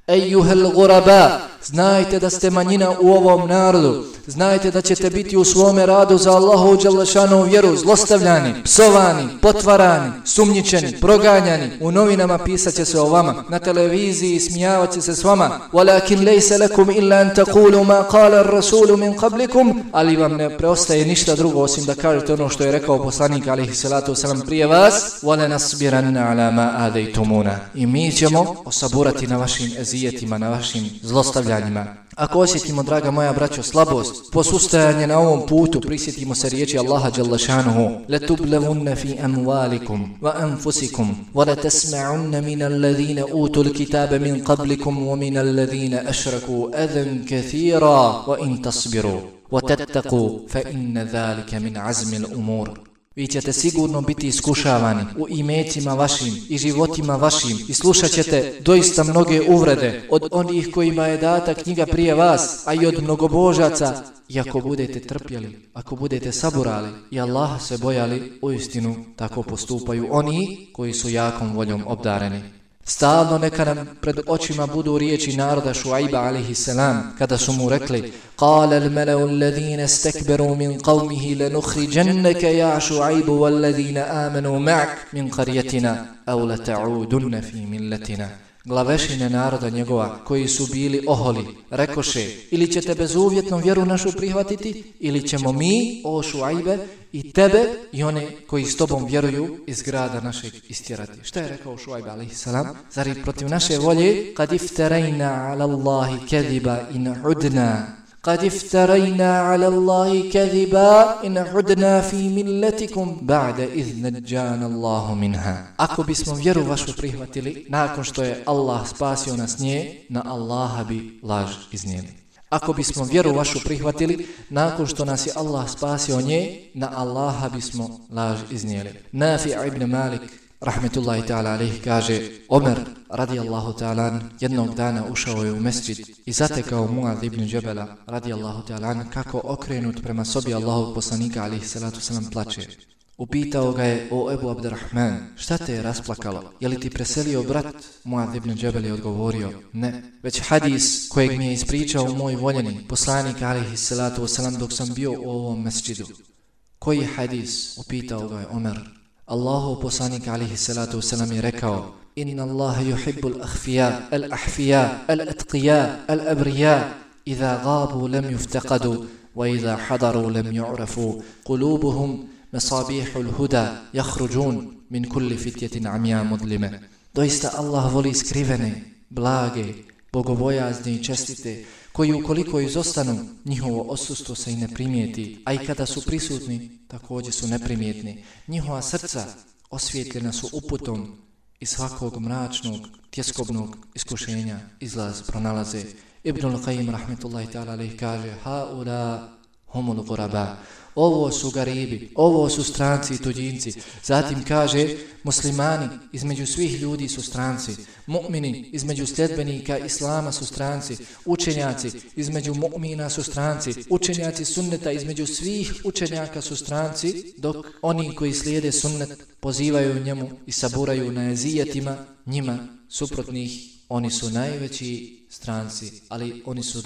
Ejuhel ghuraba, znajte da ste manjina u ovom narodu, znajte da ćete biti u svome radu za Allahu dželle šanuhu vjeru zlostavljani, psovani, potvarani, sumnjičeni, proganjani. U novinama pisat će se o vama, na televiziji smijavat će se s vama. Walakin laysa lakum illa an taqulu ma qala ar-rasul min qablikum, ali vam ne preostaje ništa drugo osim da kažete ono što je rekao poslanik alejhi salatu vesselam prije vas: wala nasbiranna ala ma adaytumuna. I mi ćemo osaburati na vašim ezijetima, na vašim zlostavljanjima. Ako osjetimo, draga moja braćo, slabost, posustajanje na ovom putu, prisjetimo se riječi Allaha dželle šanuhu: Latublavunna fi amwalikum wa anfusikum wa latasma'unna min alladhina utul kitaba min qablikum wa min alladhina ashraku adan kathira wa in tasbiru wa tattaqu fa inna dhalika min azmi al-umur. Vi ćete sigurno biti iskušavani u imecima vašim i životima vašim i slušat ćete doista mnoge uvrede od onih kojima je data knjiga prije vas, a i od mnogobožaca. I ako budete trpjeli, ako budete saburali i Allaha se bojali, uistinu tako postupaju oni koji su jakom voljom obdareni. Stalno neka nam pred očima budu riječi naroda Šuajba alejhi selam kada su mu rekli: Qala al-mala'u alladhina istakbaru min qawmihi lanukhrijannaka ya Šuajbu walladhina amanu ma'ak min qaryatina aw lata'udunna fi millatina. Glavešine naroda njegova koji su bili oholi rekoše: ili ćete bezuvjetnom vjeru našu prihvatiti, ili ćemo mi, o Šuajbe, i tebe i one koji s tobom vjeruju iz grada našeg istjerati. Šta je rekao Šuajb alejhi selam? Zar i protiv naše volje? Kad iftarajna ala Allahi kadiba in udna. Kad iftarajna ala Allahi kadiba in udna fi milletikum ba'da iz nadjana Allahu minha. Ako bismo vjeru vašu prihvatili nakon što je Allah spasio nas nje, na Allaha bi laž iznijeli. Ako bismo vjeru vašu prihvatili nakon što nas je Allah spasio nje, na Allaha bismo laž iznijeli. Nafi' ibn Malik rahmetullahi ta'ala alejhi kaže: Omer radijallahu ta'ala jednog dana ušao je u mesdžid i zatekao Muad ibn Džebela radijallahu ta'ala kako okrenut prema sobi Allahovog poslanika alejhi salatu selam plače. Upitao ga je: o Ebu Abdurrahman, šta te je rasplakalo? Je li ti preselio brat? Muad ibn Džebel je odgovorio: ne, već hadis kojeg mi je ispričao moj voljeni poslanik alejhi salatu vesselam dok sam bio u ovom mesdžidu. Koji hadis? Upitao ga je Omer. Allahov poslanik alejhi salatu vesselam je rekao: Inna Allaha yuhibbu al-akhfiya, al-ahfiya, al-atqiya, al-abriya, idha ghabu lam yuftaqadu, wa idha hadaru lam yu'rafu, qulubuhum مصابيح الهدى يخرجون من كل فتية عمياء مظلمة. Doista Allah voli skrivene, blage, bogobojazne i čestite, koji ukoliko izostanu, njihovo odsustvo se i ne primijeti, a i kada su prisutni, također su neprimjetni. Njihova srca osvjetljena su uputom i svakog mračnog, tjeskobnog iskušenja izlaz pronalaze. Ibnul Qayyim rahmetullahi ta'ala alejhi kaže: haula humul ghuraba. Ovo su garibi, ovo su stranci i tuđinci. Zatim kaže: muslimani između svih ljudi su stranci, mu'mini između sljedbenika islama su stranci, učenjaci između mu'mina su stranci, učenjaci sunneta između svih učenjaka su stranci, dok oni koji slijede sunnet pozivaju njemu i saburaju na ezijetima njima suprotnih, oni su najveći stranci, ali oni su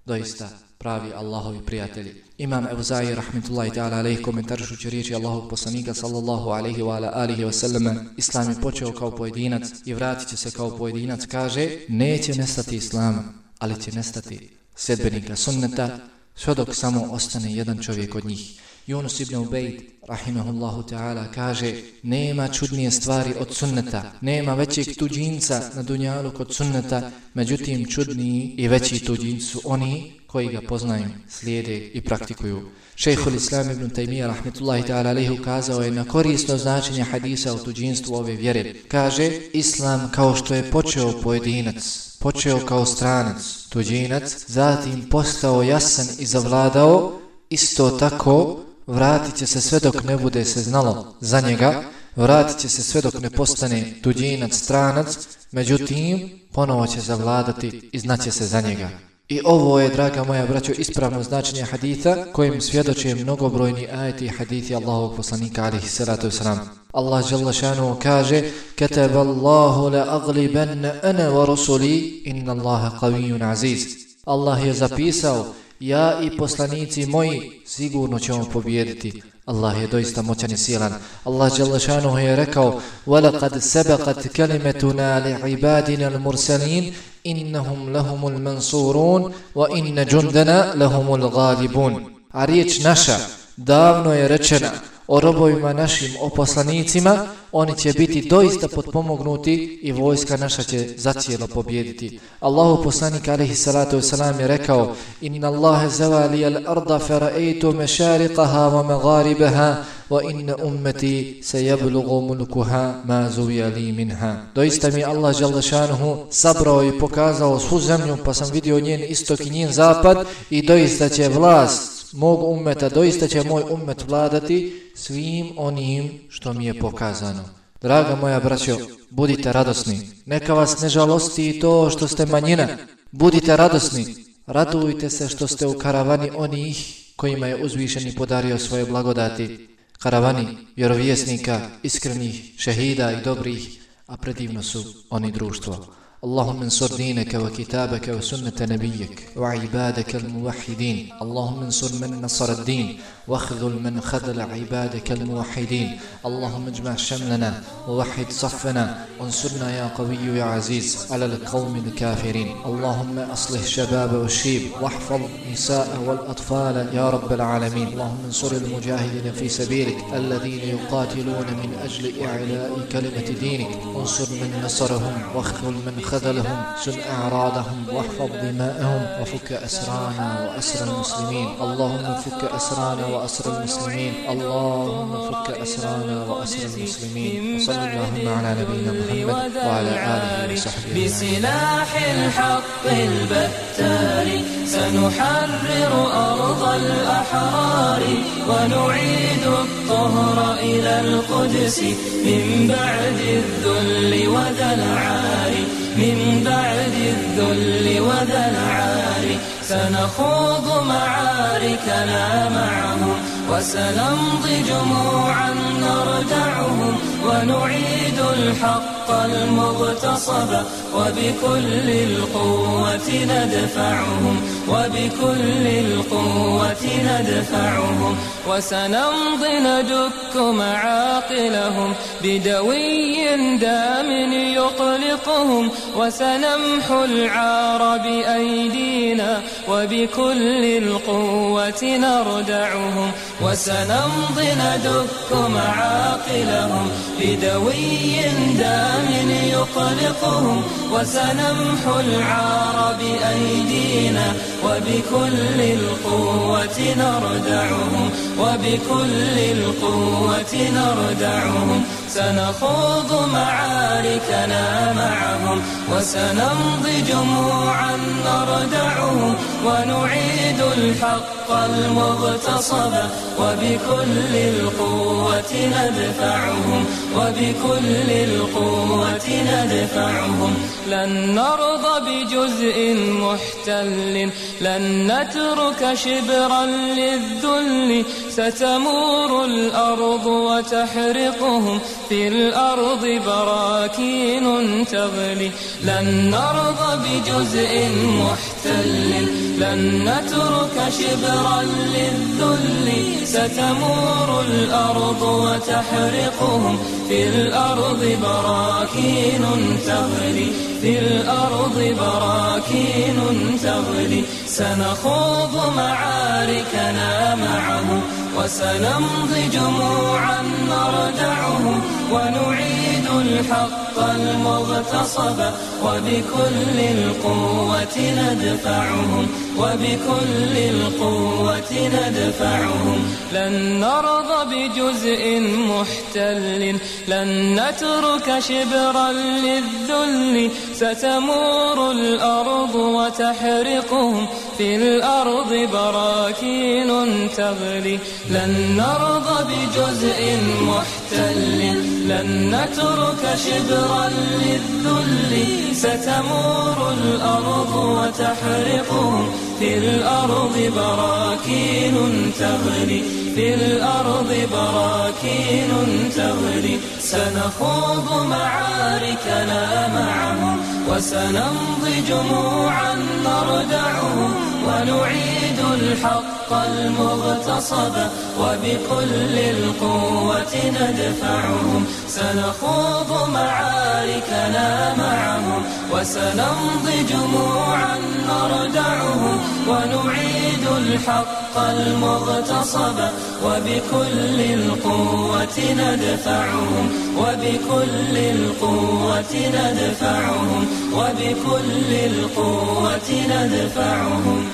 doista pravi Allahovi prijatelji. Imam Evzai rahmetullahi ta'ala alejhi komentarišući riječi Allahovog poslanika sallallahu alejhi wa alihi wa sallam: Islam je počeo kao pojedinac i vratit će se kao pojedinac. Kaže: neće nestati Islama, ali će nestati sljedbenika sunneta sve dok samo ostane jedan čovjek od njih. Yunus ibn Ubejd rahimahullahu ta'ala kaže: nema čudnije stvari od sunneta, nema većeg tuđinca na dunjalu kod sunneta, međutim čudniji i veći tuđinci su oni koji ga poznaju, slijede i praktikuju. Šejhul Islam ibn Taymiyyah rahmetullahi ta'ala alejhi ukazao je na korisno značenje hadisa o tuđinstvu ove vjere. Kaže: Islam kao što je počeo pojedinac, počeo kao stranac, tuđinac, zatim postao jasan i zavladao, isto tako vratit će se sve dok ne bude se znalo za njega, vratit će se sve dok ne postane tuđinac, stranac, međutim ponovo će zavladati i znaće se za njega. I ovo je, draga moja braćo, ispravno značenje haditha kojim svjedoče mnogobrojni ajeti i hadithi Allahovog poslanika alejhi salatu vesselam. Allah dželle šanuhu kaže: kataballahu la aghlibanna ana wa rusuli inna Allaha qawiyyun aziz. Allah je zapisao: ja i poslanici moji sigurno ćemo pobijediti. Allah je doista moćan i silan. Allah dželle šanuhu je rekao: وَلَقَدْ سَبَقَتْ كَلِمَتُنَا لِعِبَادِنَا الْمُرْسَلِينَ إِنَّهُمْ لَهُمُ الْمَنْصُورُونَ وَإِنَّ جُنْدَنَا لَهُمُ الْغَالِبُونَ. A riječ naša davno je rečena o robovima našim, o poslanicima, oni će biti doista potpomognuti i vojska naša će zacijelo pobijediti. Allahu poslanik alejhi salatu vesselam je rekao: inna Allaha zawali al-arda fara'aytu mashariqaha wa magharibaha wa inna ummati sayablughu mulkuha ma zuwiya li minha. Doista mi Allah dželle šanuhu sabrao i pokazao svu zemlju, pa sam vidio njen istok i njen zapad, i doista će vlast mog ummeta, doista će moj ummet vladati svim onim što mi je pokazano. Draga moja braćo, budite radosni. Neka vas ne žalosti to što ste manjina. Budite radosni. Radujte se što ste u karavani onih kojima je uzvišeni podario svoje blagodati. Karavani vjerovjesnika, iskrenih, šehida i dobrih, a predivno su oni društvo. اللهم انصر دينك وكتابك وسنة نبيك وعبادك الموحدين. اللهم انصر من نصر الدين واخذل من خذل عبادك الموحدين. اللهم اجمع شملنا ووحد صفنا وانصرنا يا قوي يا عزيز على القوم الكافرين. اللهم أصلح شباب والشيب واحفظ النساء والأطفال يا رب العالمين. اللهم انصر المجاهدين في سبيلك الذين يقاتلون من أجل إعلاء كلمة دينك. انصر من نصرهم واخذل من خذلهم، سن أعراضهم واحفظ دماءهم، وفك أسرانا وأسر المسلمين. اللهم فك أسرانا وأسر المسلمين. اللهم فك أسرانا وأسر المسلمين. وصلى اللهم على نبينا محمد وعلى آله وصحبه. بسلاح الحق البتار سنحرر أرض الأحرار ونعيد الطهر إلى القدس من بعد الذل وذا العار. من بعد الذل وذا العار سنخوض معاركنا معهم وسنمضي جموعا نردعهم ونعيد الحق المغتصب وبكل القوة ندفعهم وبكل القوة ندفعهم وسنمضي ندك معاقلهم بدوي دام يقلقهم وسنمحو العار بأيدينا وبكل القوة نردعهم وسنمضي ندك معاقلهم بدوي دام يقلقهم وسنمحو العار بأيدينا وبكل القوة نردعهم وبكل القوة نردعهم سنخوض معاركنا معهم وسنمضي جموعا نردعهم ونعيد الحق المغتصب وبكل القوة ندفعهم وبكل القوة ندفعهم لن نرضى بجزء محتل لن نترك شبرا للذل ستمور الأرض وتحرقهم في الأرض براكين تغلي لن نرضى بجزء محتل لن نترك شبرا للذل ستمور الأرض وتحرقهم في الأرض براكين تغلي في الأرض براكين تغلي سنخوض معاركنا معهم وسنمضي جموعا نردعهم ونعيد الحق المغتصب وبكل القوة ندفعهم وبكل القوة ندفعهم لن نرضى بجزء محتل لن نترك شبرا للذل ستمور الأرض وتحرقهم في الأرض براكين تغلي لن نرضى بجزء محتل لن نترك شبرا للذل ستمور الأرض وتحرقهم في الأرض براكين تغلي في الأرض براكين تغلي سنخوض معاركنا معهم وسنمضي جموعا نردعهم ونعيد الحق المغتصب وبكل القوة ندفعهم سنخوض معاركنا معهم وسنمضي جموعا نردعهم ونعيد الحق المغتصب وبكل القوة ندفعهم وبكل القوة ندفعهم وبكل القوة ندفعهم